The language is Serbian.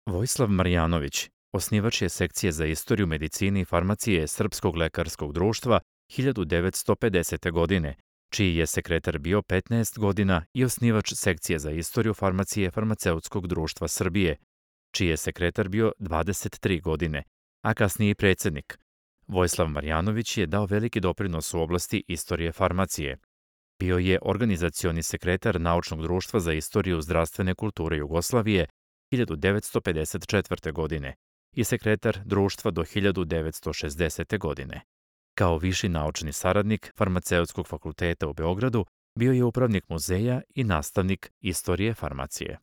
Vojislav Marjanović, osnivač je sekcije za istoriju medicine i farmacije Srpskog lekarskog društva 1950. godine, čiji je sekretar bio 15 godina i osnivač sekcije za istoriju farmacije Farmaceutskog društva Srbije, čiji je sekretar bio 23 godine, a kasnije i predsjednik. Vojislav Marjanović je dao veliki doprinos u oblasti istorije farmacije. Bio je organizacioni sekretar Naučnog društva za istoriju zdravstvene kulture Jugoslavije 1954. godine i sekretar društva do 1960. godine. Kao viši naučni saradnik Farmaceutskog fakulteta u Beogradu bio je upravnik muzeja i nastavnik istorije farmacije.